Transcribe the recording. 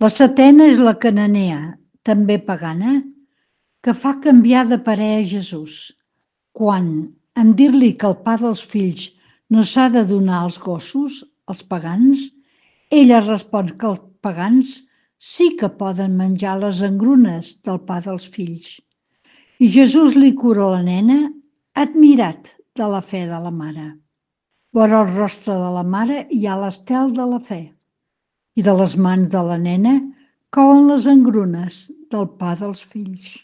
La setena és la cananea, també pagana, que fa canviar de parer a Jesús, quan, en dir-li que el pa dels fills no s'ha de donar als gossos, als pagans, ella respon que els pagans sí que poden menjar les engrunes del pa dels fills. I Jesús li cura la nena, admirat de la fe de la mare. Vora el rostre de la mare hi ha l'estel de la fe, i de les mans de la nena couen les engrunes del pa dels fills.